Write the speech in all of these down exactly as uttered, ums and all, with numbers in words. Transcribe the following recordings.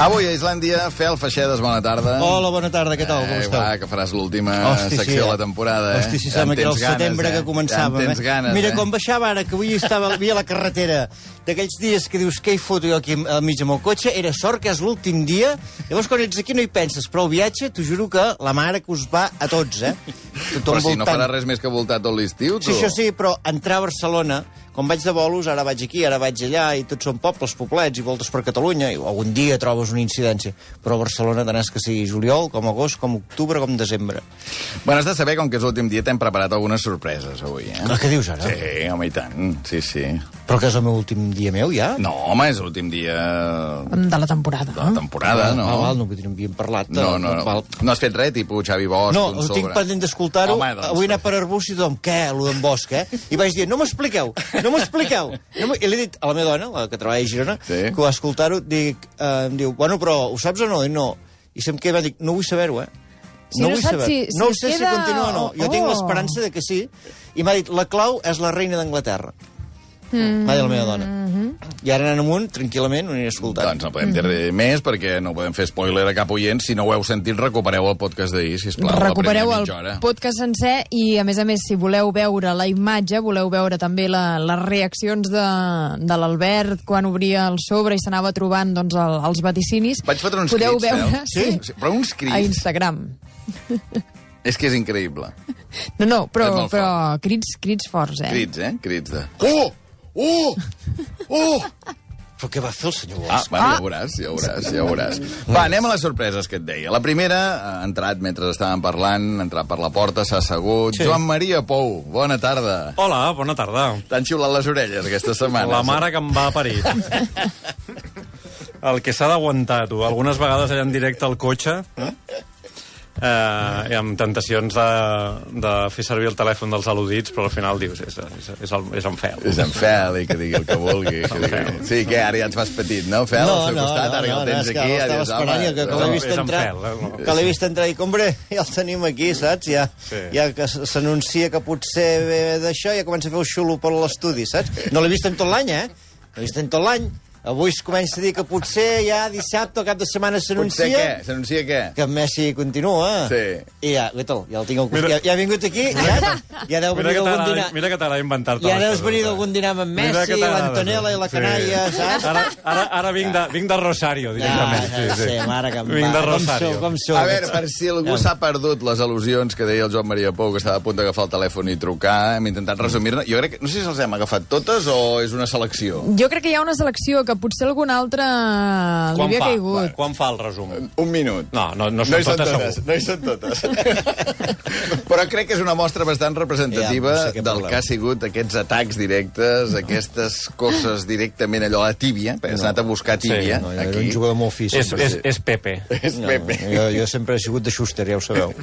Avui a Islàndia, Fel Feixedes, bona tarda. Hola, bona tarda, què tal, com eh, esteu? Va, que faràs l'última Hosti, secció sí, de la temporada, eh? Hosti, si sembla que era el ganes, setembre eh? que començàvem, ja tens eh? ganes, Mira, eh? com baixava ara, que avui estava havia la carretera, d'aquells dies que dius, què hi foto jo aquí al mig amb el cotxe, era sort que és l'últim dia, llavors quan ets aquí no hi penses, però el viatge, t'ho juro que la mare que us va a tots, eh? Però si no farà res més que voltar tot l'estiu, tu. Sí, això sí, però entrar a Barcelona, quan vaig de bolos, ara vaig aquí, ara vaig allà, i tots són pobles, poblets, i voltes per Catalunya, i algun dia trobes una incidència. Però a Barcelona tant és que sigui juliol, com agost, com octubre, com desembre. Bueno, has de saber, com que és l'últim dia, t'hem preparat algunes sorpreses avui, eh? Què dius ara? Sí, home, i tant. Sí, sí. Però que és el meu últim dia meu, ja? No, home, és l'últim dia... De la temporada. De la temporada, no? Ah, val, no, no havíem parlat. De, No, no, no, val. no has fet res, tipus Xavi Bosch, No, un ho sobre. tinc pendent d'escoltar-ho. Home, doncs. Avui he anat per Arbús i tothom, què, allò d'en Bosch, eh? I vaig dir, no m'expliqueu, no m'expliqueu. No I li he dit a la meva dona, la que treballa a Girona, Sí. que va escoltar-ho, dic, eh, em diu, bueno, però ho saps o no? I no. I se'm queda, dic, no vull saber-ho, eh? Si no vull saps saber. si- si no ho es sé queda si continua o no. Jo o- tinc oh. l'esperança de que sí. I m'ha dit, la clau és la reina d'Anglaterra. Mm. M'ha dit la meva dona. Mm-hmm. I ara anant amunt, tranquil·lament, ho aniré escoltant. Doncs no podem dir res més, perquè no podem fer spoiler a cap oient. Si no ho heu sentit, recupereu el podcast d'ahir, sisplau. Recupereu la el primera mitja hora. podcast sencer i, a més a més, si voleu veure la imatge, voleu veure també la, les reaccions de, de l'Albert quan obria el sobre i s'anava trobant doncs, el, els vaticinis. Vaig fotre uns podeu crits, veure, eh? Sí? sí? Però uns a crits. Instagram. És que és increïble. No, no, però, És molt però crits, crits forts, eh? Crits, eh? Crits de... Oh! Oh! Oh! Però què va fer el senyor Ah, Bosch? bueno, ja ho veuràs, ja ho veuràs, ja ho veuràs. Va, anem a les sorpreses que et deia. La primera, ha entrat mentre estàvem parlant, ha entrat per la porta, s'ha assegut. Sí. Joan Maria Pou, bona tarda. Hola, bona tarda. T'han xiulat les orelles aquesta setmana. La mare que em va parir. El que s'ha d'aguantar, tu. Algunes vegades allà en directe al cotxe, eh, amb tentacions de, de fer servir el telèfon dels al·ludits, però al final dius, és, és, és, el, és en Fel. És en Fel, i que digui el que vulgui. Que digui... Sí, que ara ja ets més petit, no, Fel? No, al seu no, costat, no, ara que no, el tens no, és que aquí, ara ja estava dius, esperant, home... ja que, que l'he vist és en entrar, Fel, eh? que l'he vist entrar i, hombre, ja el tenim aquí, saps? Ja, Sí. ja que s'anuncia que potser ve d'això, ja comença a fer el xulo per l'estudi, saps? No l'he vist en tot l'any, eh? No l'he vist en tot l'any. Avui es comença a dir que potser ja dissabte o cap de setmana Potser s'anuncia... què? S'anuncia què? Que Messi continua. Sí. I ja, guaita, ja el tinc al Mira- ja, ja ha vingut aquí, ja, ja deu Mira venir que d'algun t'agrada dinar... mira que t'agrada inventar-te Ja les deus coses, venir eh? d'algun dinar amb Mira Messi, que t'agrada, l'Antonella i la sí. canalla, saps? Ara, ara, ara vinc, de, vinc de Rosario, directament. Ah, sí, sí, mare que em Vinc va. de Com Rosario. sou, com sou? A veure, per si algú s'ha perdut les al·lusions que deia el Joan Maria Pou, que estava a punt d'agafar el telèfon i trucar, hem intentat resumir-ne. Jo crec que... No sé si els hem agafat totes o és una selecció. Jo crec que hi ha una selecció que potser algun altre li Quan havia fa? caigut. Quan fa el resum? Un minut. No, no, no No són hi són totes, totes, segur. no hi són totes. Però crec que és una mostra bastant representativa Ja, no sé què del parlem. que ha sigut aquests atacs directes, aquestes coses directament allò a la tíbia, perquè s'ha anat a buscar tíbia, No, jo era aquí. un jugador molt fi. És, sempre. és, és Pepe. És No, Pepe. jo, jo sempre he sigut de Schuster, ja ho sabeu.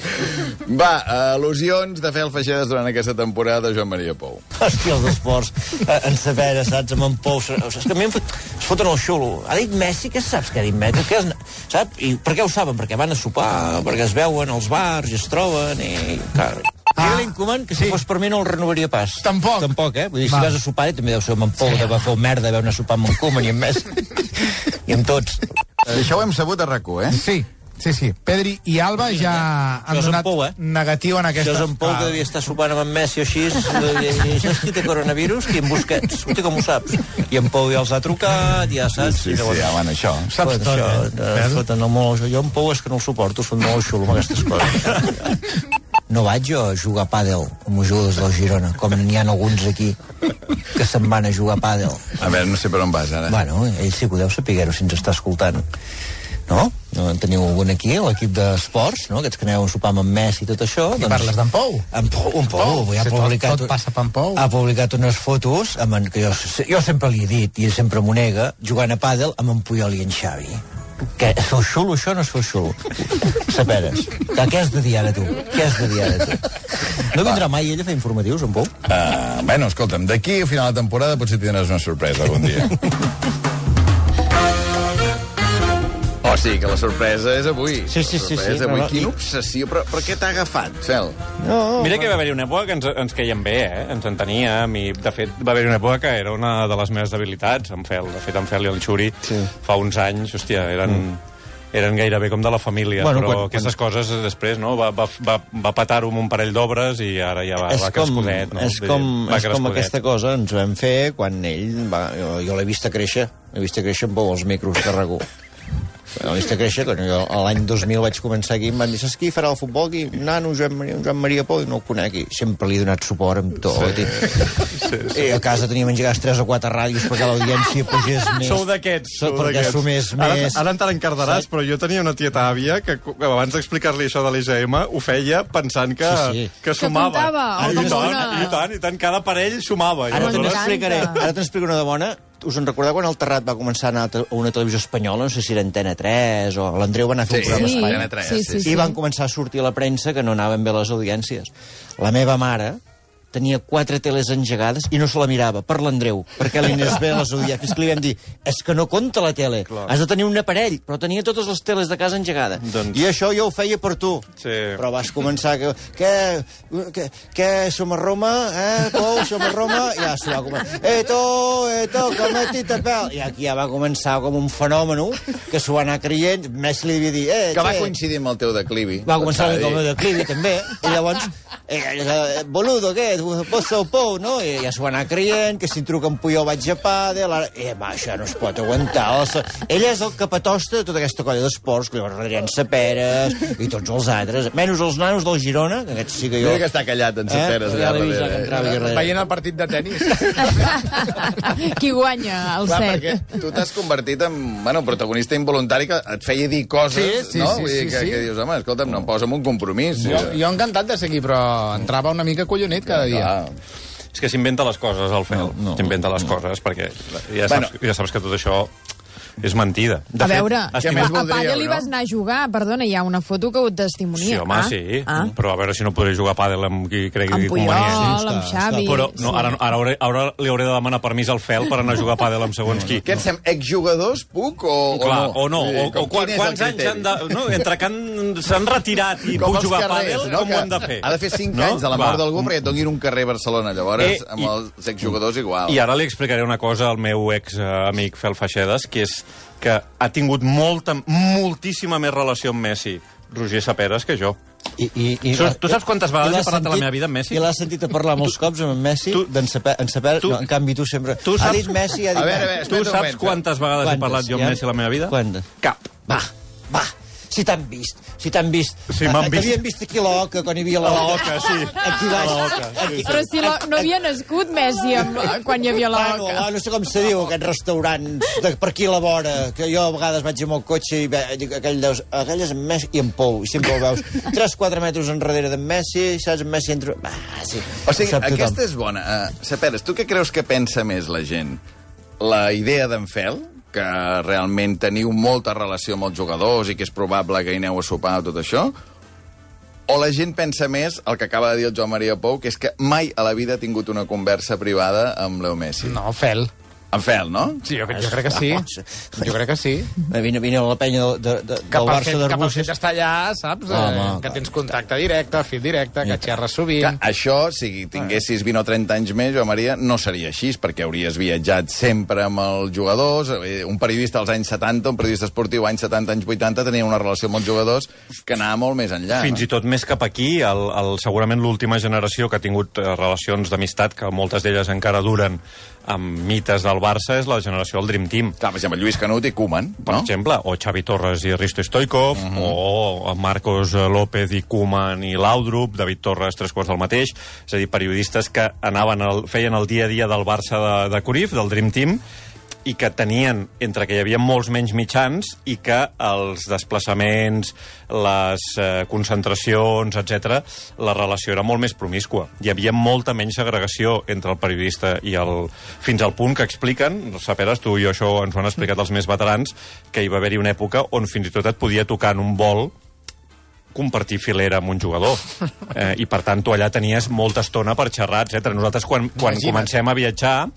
Va, al·lusions de Fel Feixedes durant aquesta temporada, Joan Maria Pou. Hòstia, els esports, eh, en saber, saps, amb en Pou... És que a mi em fot, es foten el xulo. Ha dit Messi, què saps què ha dit Messi? Què és, saps? I per què ho saben? Perquè van a sopar, perquè es veuen als bars i es troben i... Clar. Ah. Digue-li Koeman que si sí. fos per mi no el renovaria pas. Tampoc. Tampoc, eh? Vull dir, si Va. vas a sopar, també deu ser amb en Pou, de va fer merda, de anar a sopar amb en Koeman i amb Messi. I amb tots. Això ho hem sabut a RAC u, eh? Sí, sí, sí. Pedri i Alba ja han Això és en donat Pou, eh? negatiu en aquesta... Això és en Pou, que devia estar sopant amb en Messi o així. I, i saps qui té coronavirus? Qui en Busquets? Hosti, com ho saps? I en Pou ja els ha trucat, ja saps. Sí, sí, llavors- ja, bueno, això. Saps Fot, tot, això, eh? eh? Vel? Foten el molt... Jo en Pou és que no el suporto, es fot molt xulo amb aquestes coses. No vaig jo a jugar a pàdel amb els jugadors del Girona, com n'hi ha alguns aquí que se'n van a jugar a pàdel. A veure, no sé per on vas, ara. Bueno, ell sí que ho deu saber-ho si ens està escoltant. No? No en teniu algun aquí, l'equip d'esports, no? Aquests que aneu a sopar amb en Messi i tot això. I parles d'en Pou? En Pou, en Pou, Pou, ja ha si tot- publicat... tot passa per en Pou. Ha publicat unes fotos amb en, que jo, jo sempre li he dit, i ell sempre m'ho nega, jugant a pàdel amb en Puyol i en Xavi. Que és el xulo, això no és el xulo. Saperes. Que què has de dir ara, tu? Què has de dir ara, tu? No vindrà mai ell a fer informatius, en Pou? Uh, bueno, escolta'm, d'aquí a final de temporada potser tindràs una sorpresa algun dia. Oh, sí, que la sorpresa és avui. Sí, sí, La sí, sorpresa sí. és avui. No, no, Quina i- obsessió, però, però què t'ha agafat, Fel? No, Mira que va haver-hi una època que ens, ens queien bé, eh? Ens enteníem i, de fet, va haver-hi una època que era una de les meves debilitats, en Fel. De fet, en Fel i el Xuri, Sí. fa uns anys, hòstia, eren... Mm. eren gairebé com de la família, Bueno, però quan- aquestes coses després, no? Va, va, va, va petar-ho amb un parell d'obres i ara ja va, és va com, crescudet, no? és com, Va és com crescudet. aquesta cosa ens vam fer quan ell va, jo, jo l'he vist a créixer he vist a créixer amb els micros de Ragú. L'he vist a créixer, quan jo l'any dos mil vaig començar aquí, em van dir, saps qui farà el futbol aquí? Nano, Joan Maria, Joan Maria Pou, i no el conec, i sempre li he donat suport amb tot. Sí. I, sí, sí. I a casa teníem engegats tres o quatre ràdios perquè l'audiència pugés més. Sou d'aquests, So- sou perquè d'aquests. sumés Ara, més. ara te l'encardaràs, però jo tenia una tieta àvia que, que abans d'explicar-li això de l'E G M ho feia pensant que, Sí, sí. que sumava. comptava, I, com tant, una- i tant, i tant, cada parell sumava. I Ara te aleshores- n'explicaré, ara t'explico una de bona. Us en recordeu quan el Terrat va començar a anar a te- a una televisió espanyola, no sé si era Antena tres, o l'Andreu va anar a fer un Sí, programa sí, a Espanya. Antena tres, sí, sí, sí, I van començar a sortir a la premsa que no anaven bé les audiències. La meva mare tenia quatre teles engegades i no se la mirava, per l'Andreu, perquè li anés bé a les audiències. Fins que li vam dir, és que no compta la tele, Clar. has de tenir un aparell, però tenia totes les teles de casa engegades. Doncs- I això jo ho feia per tu. Sí. Però vas començar que... Què, què, què som a Roma? Eh, Pou, som a Roma? Ja s'ho va començar. Eh, tu, eh, tu, cometi tapel. I aquí ja va començar com un fenomen que s'ho va anar creient. Messi li devia dir... Eh, Que va què? coincidir amb el teu declivi. Va començar S'ha de com a dir. declivi, també. I llavors, eh, eh, boludo, què? Vos sou Pou, no? I ja s'ho va anar creient, que si truca en Puyol vaig a pàdel... Ara... Eh, va, això no es pot aguantar. El... Ell és el capatosta de tota aquesta colla d'esports, que llavors Adrián Saperes i tots els altres, menys els nanos del Girona, que aquests sí que jo... Mira que està callat en Saperes. Eh? Ja allà l'he vist, ja darrere, que eh? entrava aquí darrere. Veient el partit de tennis. Qui guanya el Clar, set? perquè tu t'has convertit en bueno, protagonista involuntari que et feia dir coses, Sí, sí, no? sí, Vull dir sí, que, sí. que dius, home, escolta'm, no em posa en un compromís. Jo, jo encantat de seguir, però entrava una mica collonit cada dia. Clar. És que s'inventa les coses, el Fel. No, no, s'inventa les coses, perquè ja Bueno. saps, ja saps que tot això és mentida. De A veure, què a, més a voldríeu, pàdel hi no? vas anar a jugar, perdona, hi ha una foto que ho testimonia. Sí, home, ah, sí. Ah. Però a veure si no podré jugar a pàdel amb qui cregui Amb Puyol, convenient. amb està, Xavi... Però no, sí. ara, ara, hauré, ara li hauré de demanar permís al Fel per anar a jugar a pàdel amb segons qui. Què et sembla? Exjugadors puc o, Clar, o no? o no, Vull dir, o, o com, quan, quin és el quants anys criteri? han de... No, entre que han- s'han retirat i Com puc els jugar a carrers, pàdel, no? com Que ho han de fer? Ha de fer cinc No? anys de la Va. mort d'algú perquè et donin un carrer a Barcelona. Llavors, Eh, amb i- els exjugadors igual. I ara li explicaré una cosa al meu ex eh, amic Fel Feixedes, que és que ha tingut molta, moltíssima més relació amb Messi, Roger Saperes, que jo. I, i, i, Tu- tu saps quantes vegades i l'has he parlat de la sentit- meva vida amb Messi? I l'has sentit a parlar molts cops amb en Messi, tu- d'en Saper, en Saper, tu- no, en canvi tu sempre... tu ha saps- dit Messi, ha dit... A veure, a veure, Tu espera un saps moment, quantes vegades he parlat jo amb ja? Messi a la meva vida? Quantes? Cap. Va, va, si t'han vist, si t'han vist. Sí, m'han Eh, vist. T'havien vist aquí a l'Oca, quan hi havia l'Oca. A l'Oca, sí. Aquí baix. A l'Oca, sí, Aquí- Però si la, no havia nascut Messi amb, quan hi havia la Bueno, Oca. no sé com se diu, aquests restaurants de, per aquí a la vora, que jo a vegades vaig amb el cotxe i ve, dic, aquell, deus, aquell és en Messi i en Pou, i sempre el veus tres quatre metres enrere d'en Messi, saps, en Messi entra... Ah, sí, O sigui, ho sap tothom. aquesta és bona. Uh, Saperes, tu què creus que pensa més la gent? La idea d'en Fel, que realment teniu molta relació amb els jugadors i que és probable que hi aneu a sopar o tot això? O la gent pensa més el que acaba de dir el Joan Maria Pou, que és que mai a la vida ha tingut una conversa privada amb Leo Messi? No, Fel. En Fel, no? Sí, jo, jo crec que sí. Jo crec que sí. Vine, vine a la penya de, de, de, Que del pel Barça fet, que pel d'Arbúcies. fet d'estar allà, saps? Home, eh, que tens contacte directe, fil directe, que xerres sovint. Que això, si tinguessis vint o trenta anys més, Joan Maria, no seria així, perquè hauries viatjat sempre amb els jugadors. Eh, Un periodista als anys setanta, un periodista esportiu anys setanta, anys vuitanta, tenia una relació amb els jugadors que anava molt més enllà. Fins i tot més cap aquí, el, el, segurament l'última generació que ha tingut eh, relacions d'amistat, que moltes d'elles encara duren amb mites del Barça, és la generació del Dream Team. Clar, per exemple, Lluís Canut i Koeman, Per no? exemple, o Xavi Torres i Risto Stoikov, uh -huh. o Marcos López i Koeman i Laudrup, David Torres, tres quarts del mateix. És a dir, periodistes que anaven al, feien el dia a dia del Barça de, de Cruyff, del Dream Team, i que tenien, entre que hi havia molts menys mitjans, i que els desplaçaments, les eh, concentracions, etcètera, la relació era molt més promiscua. Hi havia molta menys segregació entre el periodista i el... Fins al punt que expliquen, Saperes, tu i jo això ens ho han explicat els més veterans, que hi va haver-hi una època on fins i tot et podia tocar en un vol compartir filera amb un jugador. Eh, I, per tant, tu allà tenies molta estona per xerrar, etcètera. Nosaltres, quan, quan Imagina't. comencem a viatjar,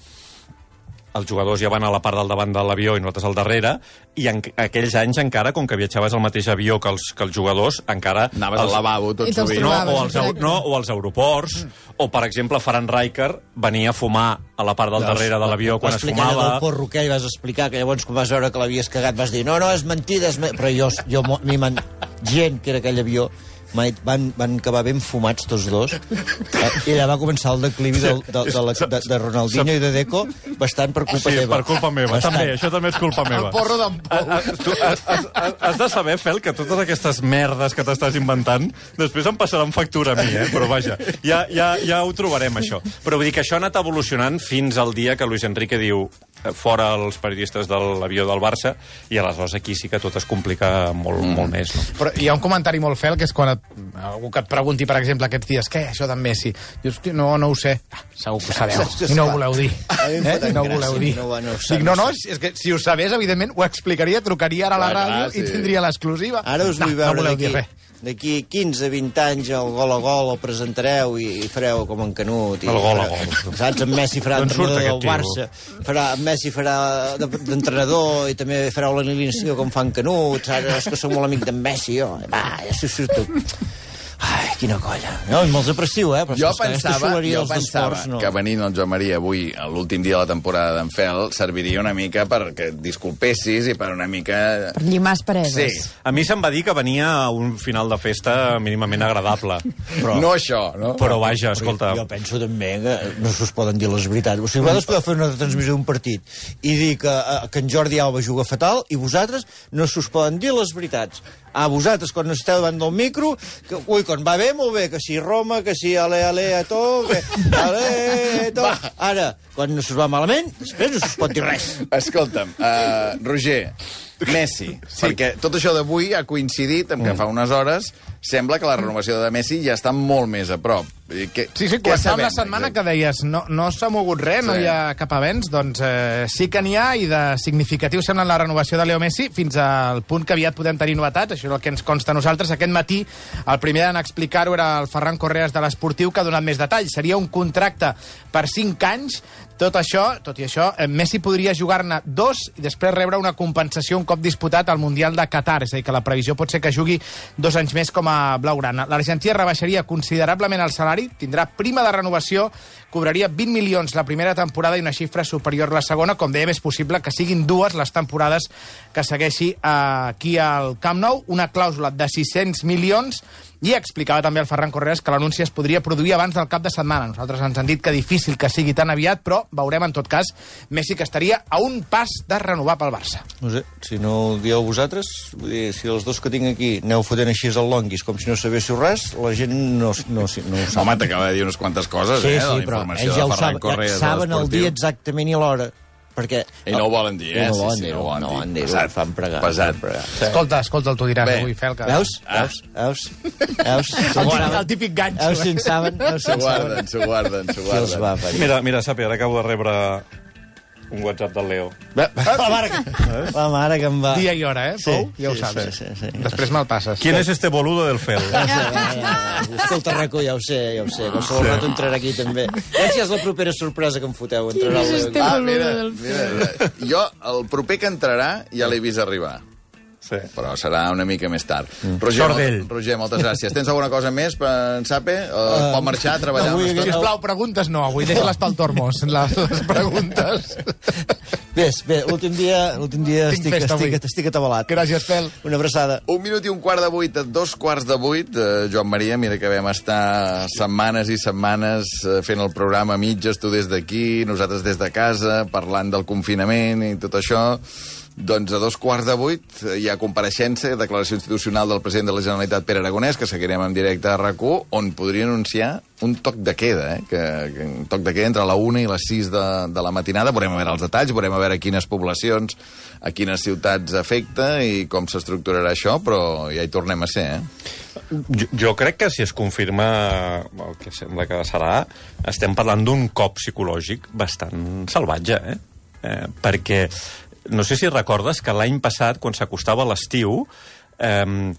els jugadors ja van a la part del davant de l'avió i nosaltres al darrere, i en aquells anys encara, com que viatjaves al mateix avió que els, que els jugadors, encara... Anaves els, al lavabo tot sovint. No, o als, no, o als aeroports, mm. o, per exemple, Ferran Rijkaard venia a fumar a la part del Veus, darrere de l'avió quan es fumava. Del porro que vas explicar, que llavors quan vas veure que l'havies cagat vas dir no, no, és mentida, és mentida. Però jo, jo m'hi man... gent que era aquell avió van, van acabar ben fumats tots dos, eh, i allà va començar el declivi de, de, de, la, de, de Ronaldinho i de Deco bastant per culpa sí, teva. per culpa meva, bastant. També, això també és culpa meva. El porro d'en Pol. Tu has, has, has de saber, Fel, que totes aquestes merdes que t'estàs inventant després em passaran factura a mi, eh? Però vaja, ja, ja, ja ho trobarem, això. Però vull dir que això ha anat evolucionant fins al dia que Luis Enrique diu fora els periodistes de l'avió del Barça, i aleshores aquí sí que tot es complica molt, mm. molt més. No? Però hi ha un comentari molt fel, que és quan et, algú que et pregunti, per exemple, aquests dies, què, això d'en Messi? Dius, no, no ho sé. Ah, segur que ho sabeu. I no ho voleu dir. Eh? I no ho voleu dir. No, no, Dic, no, no, és que si ho sabés, evidentment, ho explicaria, trucaria ara a la ràdio i tindria l'exclusiva. Ara us vull veure no d'aquí d'aquí quinze vint anys el gol a gol el presentareu i, i fareu com en Canut. I el gol a farà, gol. Saps? En Messi farà entrenador del Barça. Farà, en Messi farà d'entrenador i també fareu l'alineació com fa en Canut. Saps? És que som molt amic d'en Messi, jo. Va, ja s'ho surto. Ai, quina colla. No, me'ls aprecio, eh? Però jo és que pensava, jo pensava no. que venint el Joan Maria avui, a l'últim dia de la temporada d'en Fel, serviria una mica perquè et disculpessis i per una mica... Per llimar aspereses. Sí. A mi se'm va dir que venia a un final de festa mínimament agradable. Però, no això, no? Però vaja, escolta... Jo penso també que no s'us poden dir les veritats. O sigui, vosaltres podeu fer una transmissió d'un partit i dir que, que en Jordi Alba juga fatal i vosaltres no s'us poden dir les veritats. A vosaltres, quan esteu davant del micro, que, ui, quan va bé, molt bé, que si Roma, que si ale, ale, a to, que ale, to... Ara, quan no s'us va malament, després no s'us pot dir res. Escolta'm, uh, Roger, Messi, sí. Perquè tot això d'avui ha coincidit amb que mm. fa unes hores sembla que la renovació de Messi ja està molt més a prop. Que, sí, sí, començàvem la setmana que deies no, no s'ha mogut res, sí. No hi ha cap avenç, doncs eh, sí que n'hi ha, i de significatiu sembla la renovació de Leo Messi, fins al punt que aviat podem tenir novetats, això és el que ens consta a nosaltres. Aquest matí, el primer en explicar-ho era el Ferran Correas de l'Esportiu, que ha donat més detalls. Seria un contracte per cinc anys. Tot això, tot i això, Messi podria jugar-ne dos i després rebre una compensació un cop disputat al Mundial de Qatar, és a dir, que la previsió pot ser que jugui dos anys més com a blaugrana. L'Argentina rebaixaria considerablement el salari, tindrà prima de renovació, cobraria vint milions la primera temporada i una xifra superior la segona. Com dèiem, és possible que siguin dues les temporades que segueixi aquí al Camp Nou, una clàusula de sis-cents milions. I explicava també el Ferran Correas que l'anunci es podria produir abans del cap de setmana. Nosaltres ens han dit que difícil que sigui tan aviat, però veurem en tot cas. Messi que estaria a un pas de renovar pel Barça. No sé, si no ho dieu vosaltres, vull dir, si els dos que tinc aquí aneu fotent així al longuis com si no sabéssiu res, la gent no, no, no ho sap. Home, t'acaba de dir unes quantes coses, sí, eh, sí, de la informació ja de Ferran sab, Correas. Ja saben el dia exactament i l'hora. Perquè... I no ho volen dir, eh? No ho volen sí, dir, sí, no ho volen no, dir. No, Pesat, fan pregar. Pesat. Sí. Escolta, escolta, el tu diràs Bé. avui, Fel. Que... Veus? Ah. Veus? Veus? Veus? El, típic, el típic ganxo. Veus si en saben? Veus si S'ho en guarden, s'ho guarden, s'ho Qui els va guarden. parir? Mira, mira, Sapi, ara acabo de rebre un WhatsApp del Leo. La mare que, la mare que em va... Dia i hora, eh, Pou? Ja ho sí, saps. sí, sí, sí. Després me'l passes. ¿Quién es este boludo del Fel? Ja, ja, ja. Escolta, Raco, ja ho sé, ja ho sé. Qualsevol sí. rato entrarà aquí, també. Ja si és la propera sorpresa que em foteu. Entrarà Quin és este Ah, boludo mira, del mira, jo, el proper que entrarà, ja l'he vist arribar. Sí. Però serà una mica més tard. Mm. Roger, Sort d'ell. mol, Roger, moltes gràcies. Tens alguna cosa més per en Sape? Uh, pot marxar a treballar avui, una estona? Sisplau, preguntes no, avui deixa-les pel Tormos, les, les preguntes. Bé, bé, l'últim dia, l'últim dia Tinc estic, festa estic, avui. estic atabalat. Gràcies, Fel. Una abraçada. Un minut i un quart de vuit, dos quarts de vuit. Eh, Joan Maria, mira que vam estar setmanes i setmanes eh, fent el programa a mitges, tu des d'aquí, nosaltres des de casa, parlant del confinament i tot això. Doncs a dos quarts de vuit hi ha compareixença, declaració institucional del president de la Generalitat, Pere Aragonès, que seguirem en directe a RAC u, on podria anunciar un toc de queda, eh? que, que un toc de queda entre la una i les sis de, de la matinada. Veurem a veure els detalls, veurem a veure quines poblacions, a quines ciutats afecta i com s'estructurarà això, però ja hi tornem a ser, eh? Jo, jo crec que si es confirma el que sembla que serà, estem parlant d'un cop psicològic bastant salvatge, eh? eh perquè no sé si recordes que l'any passat, quan s'acostava l'estiu, eh,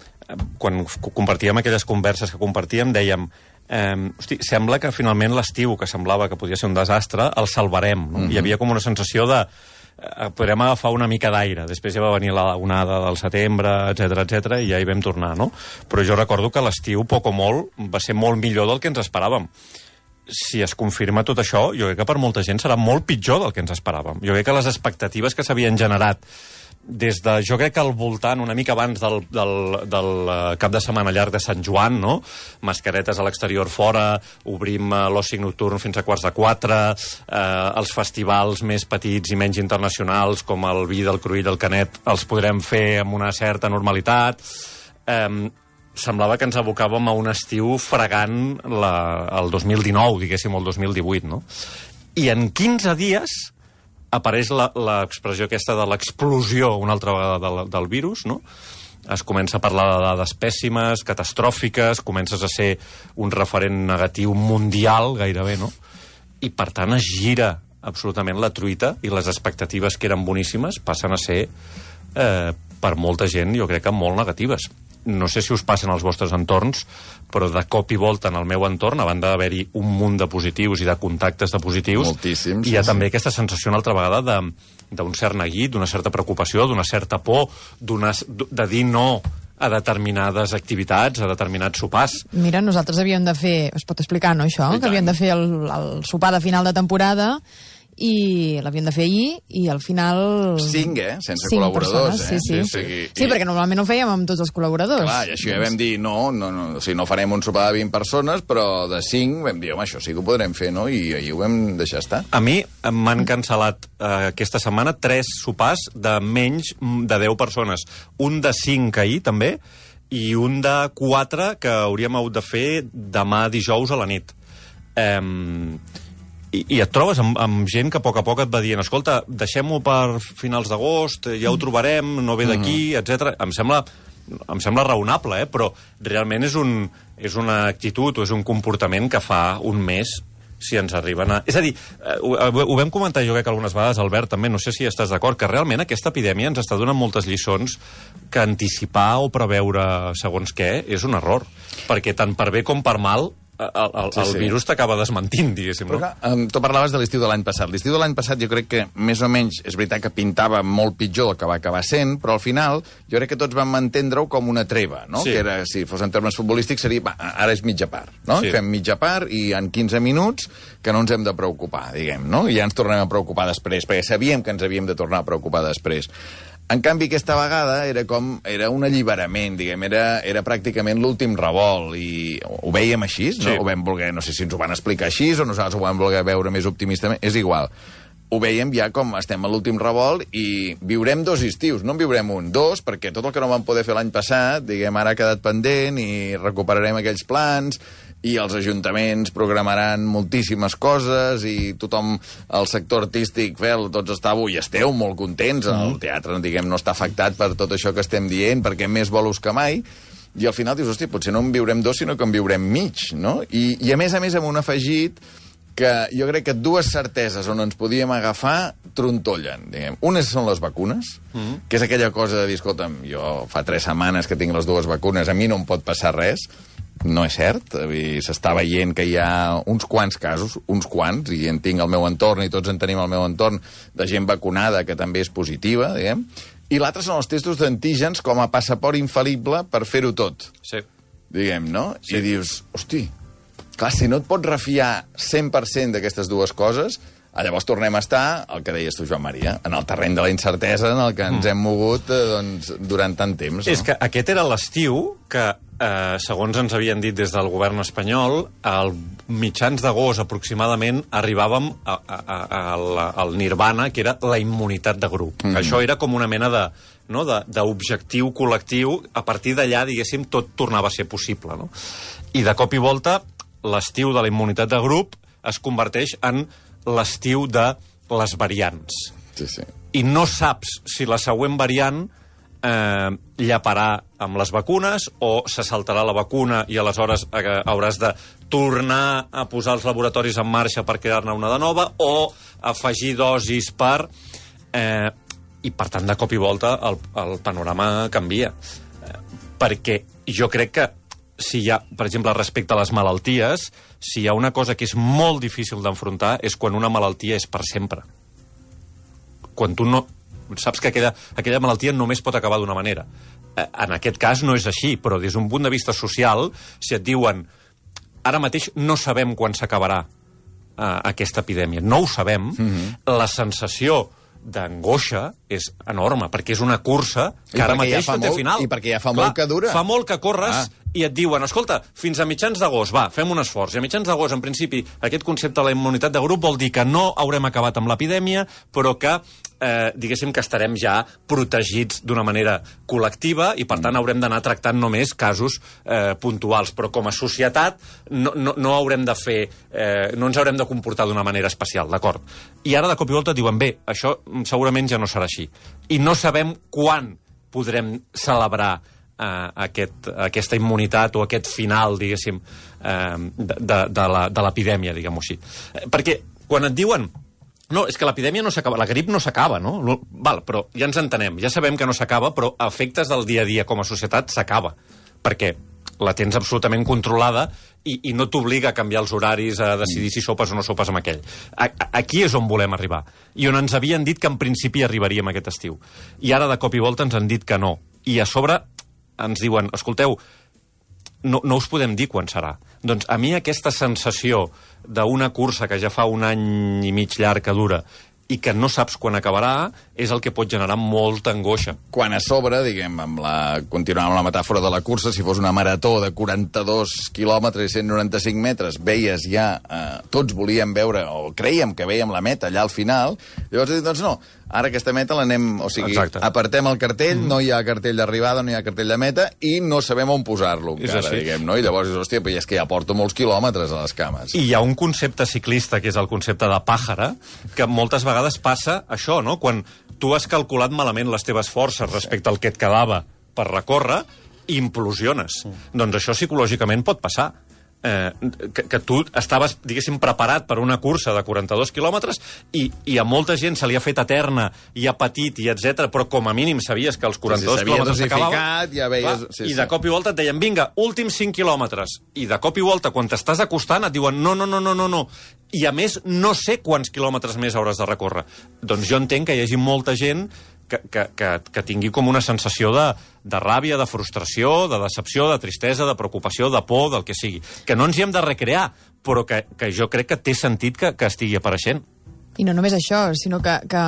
quan compartíem aquelles converses que compartíem, dèiem Eh, hosti, sembla que finalment l'estiu, que semblava que podia ser un desastre, el salvarem. No? Mm-hmm. Hi havia com una sensació de eh, podrem agafar una mica d'aire. Després ja va venir la onada del setembre, etc etc i ja hi vam tornar, no? Però jo recordo que l'estiu, poc o molt, va ser molt millor del que ens esperàvem. Si es confirma tot això, jo crec que per molta gent serà molt pitjor del que ens esperàvem. Jo crec que les expectatives que s'havien generat des de, jo crec que al voltant, una mica abans del, del, del cap de setmana llarg de Sant Joan, no? Mascaretes a l'exterior fora, obrim uh, l'oci nocturn fins a quarts de quatre, eh, els festivals més petits i menys internacionals, com el vi del Cruïll, el Canet, els podrem fer amb una certa normalitat. Eh, semblava que ens abocàvem a un estiu fregant la, el dos mil dinou, diguéssim, el dos mil divuit, no? I en quinze dies apareix l'expressió aquesta de l'explosió una altra vegada del, del virus, no? Es comença a parlar de dades pèssimes, catastròfiques, comences a ser un referent negatiu mundial, gairebé, no? I, per tant, es gira absolutament la truita i les expectatives que eren boníssimes passen a ser, eh, per molta gent, jo crec que molt negatives. No sé si us passen als vostres entorns, però de cop i volta en el meu entorn, a banda d'haver-hi un munt de positius i de contactes de positius, moltíssims, hi ha sí, també sí. aquesta sensació una altra vegada d'un cert neguit, d'una certa preocupació, d'una certa por, de dir no a determinades activitats, a determinats sopars. Mira, nosaltres havíem de fer, es pot explicar, no, això? Que havíem de fer el, el sopar de final de temporada i l'havíem de fer ahir i al final... Cinc, eh? Sense Cinc col·laboradors, persones, eh? Sí, sí. Sí, sí, sí, i... perquè normalment ho fèiem amb tots els col·laboradors. Clar, i això ja vam dir, no, no, no, o sigui, no farem un sopar de vint persones, però de cinc vam dir, home, això sí que ho podrem fer, no? I ahir ho vam deixar estar. A mi m'han cancel·lat eh, aquesta setmana tres sopars de menys de deu persones. Un de cinc ahir, també, i un de quatre que hauríem hagut de fer demà dijous a la nit. Eh... I, i et trobes amb, amb gent que a poc a poc et va dient, escolta, deixem-ho per finals d'agost, ja ho trobarem, no ve d'aquí, mm-hmm. etcètera. Em sembla, em sembla raonable, eh? Però realment és, un, és una actitud o és un comportament que fa un mes si ens arriben a... És a dir, ho, ho vam comentar jo crec que algunes vegades, Albert, també, no sé si estàs d'acord, que realment aquesta epidèmia ens està donant moltes lliçons que anticipar o preveure segons què és un error. Perquè tant per bé com per mal el, el, sí, sí. el virus t'acaba desmentint, diguéssim. Però, no? um, tu parlaves de l'estiu de l'any passat. L'estiu de l'any passat jo crec que més o menys és veritat que pintava molt pitjor del que va acabar sent, però al final jo crec que tots vam entendre-ho com una treva, no? Sí. Que era, si fos en termes futbolístics, seria, va, ara és mitja part, no? Sí. Fem mitja part i en quinze minuts que no ens hem de preocupar, diguem, no? I ja ens tornem a preocupar després, perquè sabíem que ens havíem de tornar a preocupar després. En canvi, aquesta vegada era com era un alliberament, diguem, era, era pràcticament l'últim revolt, i ho veiem així, no? Sí. Ho vam voler, no sé si ens ho van explicar així o nosaltres ho vam voler veure més optimistament, és igual. Ho veiem ja com estem a l'últim revolt i viurem dos estius, no en viurem un, dos, perquè tot el que no vam poder fer l'any passat, diguem, ara ha quedat pendent i recuperarem aquells plans, i els ajuntaments programaran moltíssimes coses i tothom, el sector artístic, fel, tots estàveu i esteu molt contents, el teatre, diguem, no està afectat per tot això que estem dient, perquè més bolos que mai, i al final dius, hosti, potser no en viurem dos, sinó que en viurem mig, no? I, i a més a més amb un afegit que jo crec que dues certeses on ens podíem agafar trontollen, diguem. Unes són les vacunes, mm-hmm. que és aquella cosa de dir, escolta'm, jo fa tres setmanes que tinc les dues vacunes, a mi no em pot passar res. No és cert, s'està veient que hi ha uns quants casos, uns quants, i en tinc al meu entorn, i tots en tenim al meu entorn, de gent vacunada que també és positiva, diguem. I l'altre són els testos d'antígens com a passaport infal·lible per fer-ho tot. Sí. Diguem, no? Sí. I dius, hosti, clar, si no et pots refiar cent per cent d'aquestes dues coses, llavors tornem a estar, el que deies tu, Joan Maria, en el terreny de la incertesa en el que ens mm. hem mogut eh, doncs, durant tant temps. No? És que aquest era l'estiu que, eh, segons ens havien dit des del govern espanyol, al mitjans d'agost aproximadament arribàvem a, a, a, a, al nirvana, que era la immunitat de grup. Mm. Això era com una mena de no, d'objectiu col·lectiu. A partir d'allà, diguéssim, tot tornava a ser possible. No? I de cop i volta, l'estiu de la immunitat de grup es converteix en l'estiu de les variants. Sí, sí. I no saps si la següent variant eh, llaparà amb les vacunes o se saltarà la vacuna i aleshores eh, hauràs de tornar a posar els laboratoris en marxa per crear-ne una de nova o afegir dosis per... Eh, I, per tant, de cop i volta el, el panorama canvia. Eh, perquè jo crec que si hi ha, per exemple, respecte a les malalties, si hi ha una cosa que és molt difícil d'enfrontar és quan una malaltia és per sempre. Quan tu no... Saps que aquella, aquella malaltia només pot acabar d'una manera. En aquest cas no és així, però des d'un punt de vista social, si et diuen ara mateix no sabem quan s'acabarà uh, aquesta epidèmia, no ho sabem, mm-hmm. la sensació d'angoixa és enorme, perquè és una cursa que ara mateix no té final. I perquè ja fa molt que dura. Fa molt que corres ah. i et diuen, escolta, fins a mitjans d'agost, va, fem un esforç. I a mitjans d'agost, en principi, aquest concepte de la immunitat de grup vol dir que no haurem acabat amb l'epidèmia, però que, eh, diguéssim, que estarem ja protegits d'una manera col·lectiva i, per tant, haurem d'anar tractant només casos eh, puntuals. Però com a societat no, no, no haurem de fer... Eh, no ens haurem de comportar d'una manera especial, d'acord? I ara, de cop i volta, et diuen, bé, això segurament ja no serà així. I no sabem quan podrem celebrar Uh, aquest, aquesta immunitat o aquest final, diguéssim, uh, de, de, de la, de l'epidèmia, diguem-ho així. Perquè quan et diuen no, és que l'epidèmia no s'acaba, la grip no s'acaba, no? Val, però ja ens entenem, ja sabem que no s'acaba, però a efectes del dia a dia com a societat s'acaba, perquè la tens absolutament controlada i, i no t'obliga a canviar els horaris, a decidir si sopes o no sopes amb aquell. A, a, aquí és on volem arribar, i on ens havien dit que en principi arribaríem aquest estiu. I ara de cop i volta ens han dit que no. I a sobre ens diuen, escolteu, no, no us podem dir quan serà. Doncs a mi aquesta sensació d'una cursa que ja fa un any i mig llarg que dura i que no saps quan acabarà és el que pot generar molta angoixa. Quan a sobre, diguem, amb la, continuant amb la metàfora de la cursa, si fos una marató de quaranta-dos quilòmetres i cent noranta-cinc metres, veies ja, eh, tots volíem veure, o creiem que veiem la meta allà al final, llavors dic, doncs no, ara aquesta meta l'anem, o sigui, Exacte. apartem el cartell, mm. no hi ha cartell d'arribada, no hi ha cartell de meta, i no sabem on posar-lo encara, diguem, no? I llavors dius, hòstia, però és que ja porto molts quilòmetres a les cames. I hi ha un concepte ciclista, que és el concepte de pàjara, que moltes vegades passa això, no? Quan tu has calculat malament les teves forces respecte al que et quedava per recórrer, i implosiones. Mm. Doncs això psicològicament pot passar. Eh, que, que tu estaves, diguéssim, preparat per una cursa de quaranta-dos quilòmetres i, i a molta gent se li ha fet eterna i ha patit i etcètera, però com a mínim sabies que els quaranta-dos sí, sí, quilòmetres s'acabaven, ja veies... sí, i sí. de cop i volta et deien, vinga, últims cinc quilòmetres, i de cop i volta, quan t'estàs acostant, et diuen, no, no, no, no, no, no, i a més no sé quants quilòmetres més hauràs de recórrer. Doncs jo entenc que hi hagi molta gent que, que, que, que tingui com una sensació de, de ràbia, de frustració, de decepció, de tristesa, de preocupació, de por, del que sigui. Que no ens hi hem de recrear, però que, que jo crec que té sentit que, que estigui apareixent. I no només això, sinó que, que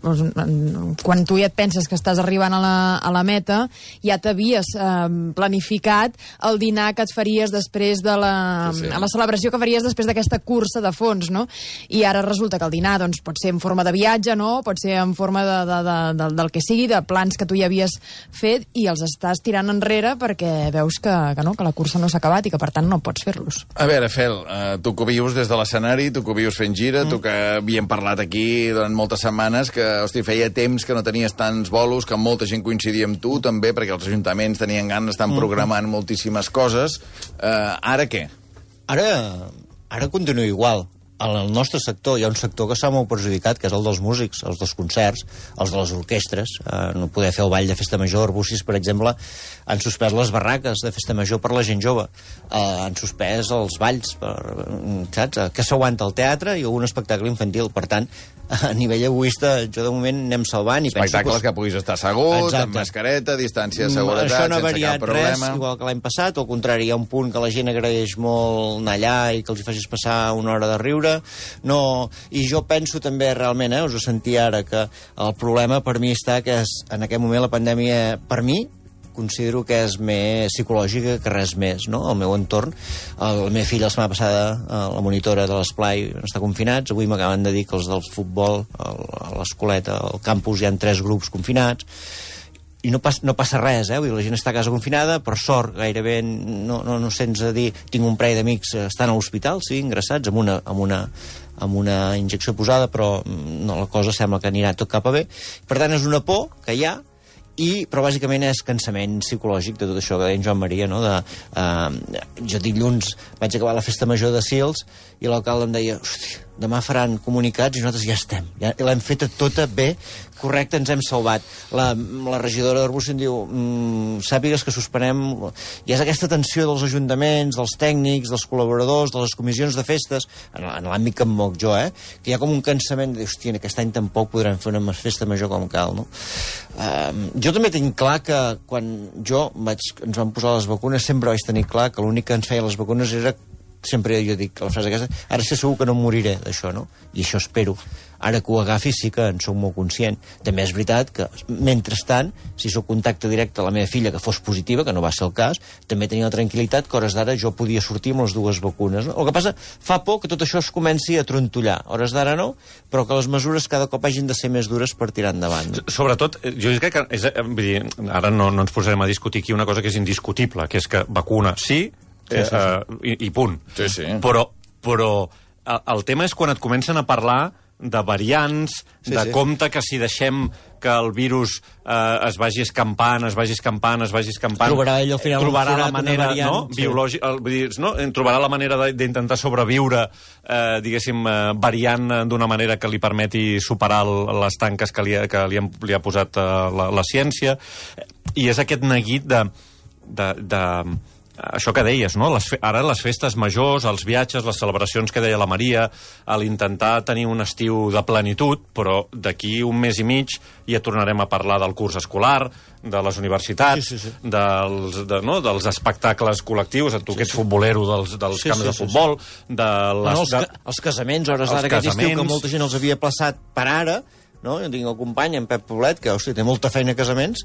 doncs, quan tu ja et penses que estàs arribant a la, a la meta, ja t'havies eh, planificat el dinar que et faries després de la, sí, sí. la celebració que faries després d'aquesta cursa de fons, no? I ara resulta que el dinar doncs, pot ser en forma de viatge, no? Pot ser en forma de, de, de, de, del que sigui, de plans que tu ja havies fet, i els estàs tirant enrere perquè veus que, que, no, que la cursa no s'ha acabat i que, per tant, no pots fer-los. A veure, Fel, eh, tu que vius des de l'escenari, tu que vius fent gira, mm. tu que havíem parlat aquí durant moltes setmanes que, hosti, feia temps que no tenies tants bolos, que molta gent coincidia amb tu, també, perquè els ajuntaments tenien ganes, estan programant mm. moltíssimes coses. Uh, ara què? Ara, ara continua igual. En el nostre sector hi ha un sector que s'ha molt perjudicat, que és el dels músics, els dels concerts, els de les orquestres. Eh, no poder fer el ball de festa major. Arbúcies, per exemple, han suspès les barraques de festa major per la gent jove. Eh, han suspès els balls, per, saps? Que s'aguanta el teatre i un espectacle infantil. Per tant, a nivell egoista, jo de moment anem salvant. I espectacles penso que puguis estar assegut, Exacte. amb mascareta, distància de seguretat, això no ha sense cap problema. Res, igual que l'any passat. Al contrari, hi ha un punt que la gent agraeix molt anar allà i que els hi facis passar una hora de riure. No, i jo penso també realment, eh, us ho sentia ara, que el problema per mi està que és, en aquest moment la pandèmia, per mi, considero que és més psicològica que res més, no? Al meu entorn, el, la meva filla la setmana passada, la monitora de l'esplai, està confinats, avui m'acaben de dir que els del futbol, el, a l'escoleta, al campus hi ha tres grups confinats, i no, pas, no passa res, eh? Vull dir, la gent està a casa confinada, per sort gairebé no, no, no sents a dir, tinc un parell d'amics estan a l'hospital, sí, ingressats, amb una, amb una, amb una injecció posada, però no, la cosa sembla que anirà tot cap a bé. Per tant, és una por que hi ha, i, però bàsicament és cansament psicològic de tot això que deia en Joan Maria, no? De, uh, jo dilluns vaig acabar la festa major de Sils i l'alcalde em deia, hosti, demà faran comunicats i nosaltres ja estem. Ja l'hem feta tota bé, correcte, ens hem salvat. La, la regidora d'Arbúcies diu, mmm, sàpigues que suspenem... Hi ha aquesta tensió dels ajuntaments, dels tècnics, dels col·laboradors, de les comissions de festes, en, en l'àmbit que em moc jo, eh? Que hi ha com un cansament de dir, hòstia, aquest any tampoc podrem fer una festa major com cal, no? Uh, jo també tinc clar que quan jo vaig, ens van posar les vacunes sempre vaig tenir clar que l'únic que ens feia les vacunes era, sempre jo dic la frase aquesta, ara sé segur que no em moriré d'això, no? I això espero. Ara que ho agafi sí que en soc molt conscient. També és veritat que, mentrestant, si sóc contacte directe a la meva filla que fos positiva, que no va ser el cas, també tenia la tranquil·litat que hores d'ara jo podia sortir amb les dues vacunes. No? El que passa, fa por que tot això es comenci a trontollar. Hores d'ara no, però que les mesures cada cop hagin de ser més dures per tirar endavant. No? Sobretot, jo crec que... És, vull dir, ara no, no ens posarem a discutir aquí una cosa que és indiscutible, que és que vacuna sí, sí, sí, sí. Eh, i, i punt. Sí, sí. Però, però el, el tema és quan et comencen a parlar de variants, sí, de sí. compte que si deixem que el virus eh, es vagi escampant, es vagi escampant, es vagi escampant... Trobarà ell al final trobarà un la manera, variant, no? Sí. Biològica, vull dir, no? Trobarà la manera d'intentar sobreviure, eh, diguéssim, eh, variant d'una manera que li permeti superar el, les tanques que li ha, que li, han, li ha posat eh, la, la ciència. I és aquest neguit de... de, de això que deies, no? Les fe... Ara les festes majors, els viatges, les celebracions que deia la Maria, a l'intentar tenir un estiu de plenitud, però d'aquí un mes i mig ja tornarem a parlar del curs escolar, de les universitats, sí, sí, sí. Dels, de, no? dels espectacles col·lectius, tu que ets futbolero dels, dels sí, camps sí, de futbol, sí, sí. de les... No, els, ca els casaments, hores d'ara aquest estiu, que molta gent els havia plaçat per ara, no? Jo tinc el company, en Pep Poblet, que hosti, té molta feina a casaments,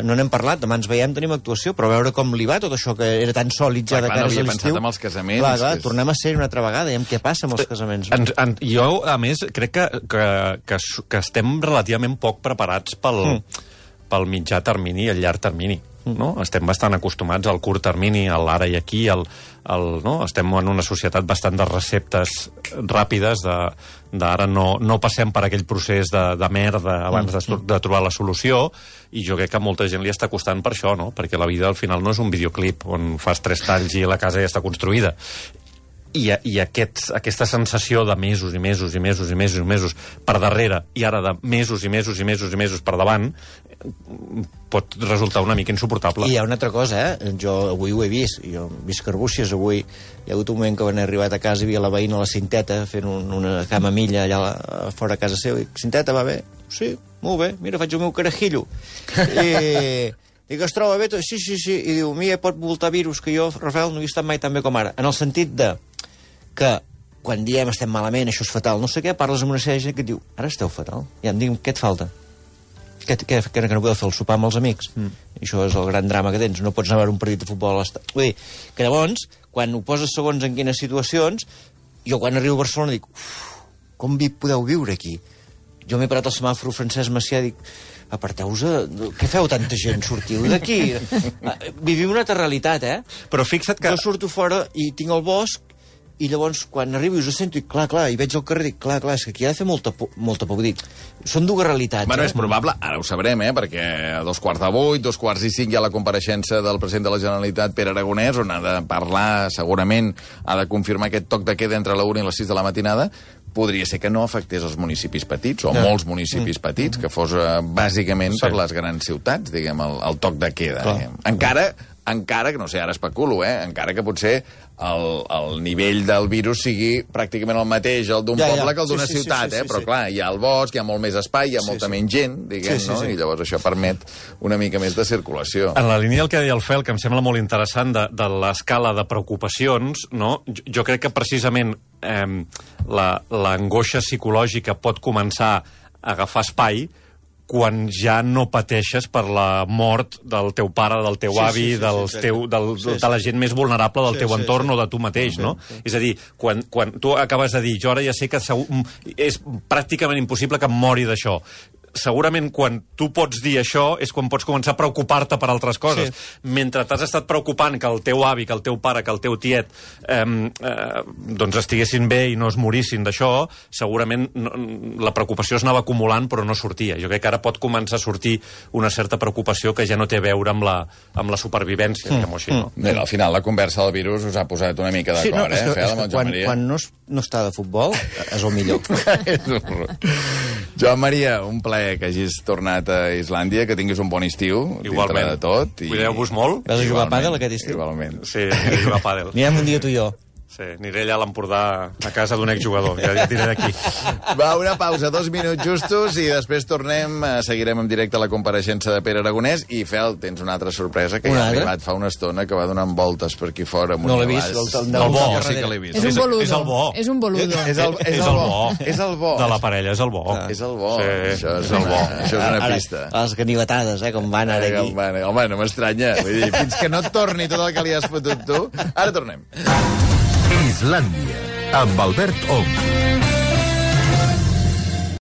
no n'hem parlat, demà ens veiem, tenim actuació, però a veure com li va tot això que era tan sòlid ja de cares a l'estiu. No havia pensat amb els casaments. Clar, clar, és... tornem a ser una altra vegada, veiem què passa amb els casaments. En, en, jo, a més, crec que, que, que, que estem relativament poc preparats pel, mm. pel mitjà termini i el llarg termini. No? Estem bastant acostumats al curt termini, a l'ara i aquí, al, al, no? Estem en una societat bastant de receptes ràpides, d'ara no, no passem per aquell procés de, de merda abans de, de trobar la solució, i jo crec que a molta gent li està costant per això, no? Perquè la vida al final no és un videoclip on fas tres talls i la casa ja està construïda. I, i aquest, aquesta sensació de mesos i mesos i mesos i mesos i mesos per darrere, i ara de mesos i mesos i mesos i mesos per davant, pot resultar una mica insuportable. I hi ha una altra cosa, eh? Jo avui ho he vist, jo visc a Arbúcies, avui hi ha hagut un moment que van arribat a casa i hi havia la veïna a la Cinteta fent un, una camamilla allà a, fora a casa seva, i Cinteta, va bé? Sí, molt bé, mira, faig el meu carajillo. I... Dic, es troba bé? Sí, sí, sí. I diu, mira, pot voltar virus, que jo, Rafael, no he estat mai tan bé com ara. En el sentit de que quan diem estem malament, això és fatal, no sé què, parles amb una sèrie de gent que et diu, ara esteu fatal. Ja em dic, què et falta? Que, que, que no podeu fer el sopar amb els amics? Mm. I això és el gran drama que tens. No pots anar a veure un partit de futbol a l'estat. Vull dir, que llavors, quan ho poses segons en quines situacions, jo quan arribo a Barcelona dic, uf, com vi podeu viure aquí? Jo m'he parat al semàfor Francesc Macià i dic, aparteu-vos, què feu tanta gent? Sortiu d'aquí. Vivim una altra realitat, eh? Però fixa't que... Jo surto fora i tinc el bosc, i llavors, quan arribo i us sento, i clar, clar, i veig al carrer, dic, clar, clar, és que aquí ha de fer molta por, molta por. Dic, són dues realitats. Bueno, eh? és probable, ara ho sabrem, eh, perquè a dos quarts de vuit, dos quarts i cinc hi ha la compareixença del president de la Generalitat, Pere Aragonès, on ha de parlar, segurament, ha de confirmar aquest toc de queda entre la una i les sis de la matinada. Podria ser que no afectés els municipis petits, o no. molts municipis mm. petits, que fos eh, bàsicament sí. per les grans ciutats, diguem, el, el toc de queda. Eh? Encara, encara, que no sé, ara especulo, eh? encara que potser el, el nivell del virus sigui pràcticament el mateix, el d'un ja, poble, ja. que el d'una sí, sí, ciutat, sí, sí, eh? sí, però sí. clar, hi ha el bosc, hi ha molt més espai, hi ha sí, molta sí. menys gent, diguem, sí, sí, no? Sí. I llavors això permet una mica més de circulació. En la línia del que deia el Fel, que em sembla molt interessant de, de l'escala de preocupacions, no? jo, jo crec que precisament eh, l'angoixa psicològica pot començar a agafar espai quan ja no pateixes per la mort del teu pare, del teu sí, avi, sí, sí, dels sí, teu, del, sí, sí. de la gent més vulnerable del sí, teu entorn sí, sí. o de tu mateix, sí, no? Sí. És a dir, quan, quan tu acabes de dir, jo ara ja sé que segur, és pràcticament impossible que em mori d'això. segurament quan tu pots dir això és quan pots començar a preocupar-te per altres coses. Sí. Mentre t'has estat preocupant que el teu avi, que el teu pare, que el teu tiet eh, eh, doncs estiguessin bé i no es morissin d'això, segurament no, la preocupació es anava acumulant però no sortia. Jo crec que ara pot començar a sortir una certa preocupació que ja no té a veure amb la, amb la supervivència, mm. diguem-ho així, no? Bé, al final la conversa del virus us ha posat una mica d'acord, sí, no, eh, Fel, amb el Joan Maria? Quan no, es, no està de futbol, és el millor. Joan Maria, un plaer que hagis tornat a Islàndia, que tinguis un bon estiu, igualment, dintre de tot. I... Cuideu-vos molt. Vas a jugar a pàdel aquest estiu? Igualment. Sí, aniré a jugar a pàdel. Anirem un dia tu i jo. Sí, aniré allà a l'Empordà a casa d'un exjugador, ja, ja diré d'aquí. Va, una pausa, dos minuts justos, i després tornem, seguirem en directe la compareixença de Pere Aragonès, i Fel, tens una altra sorpresa, que una ja ha arribat fa una estona, que va donant voltes per aquí fora. No l'he vist, el, el, el bo. Sí que l'he vist. És un boludo. És el bo. És un boludo. És el, és el bo. És el bo. De la parella, és el bo. Ah. És el bo. Sí, això és, és el bo. Això és una pista. Ara, les ganivetades, eh, com van ara aquí. Home, home, no m'estranya. Vull dir, fins que no et torni tot el que li has fotut tu. Ara tornem. Islàndia, amb Albert Ong.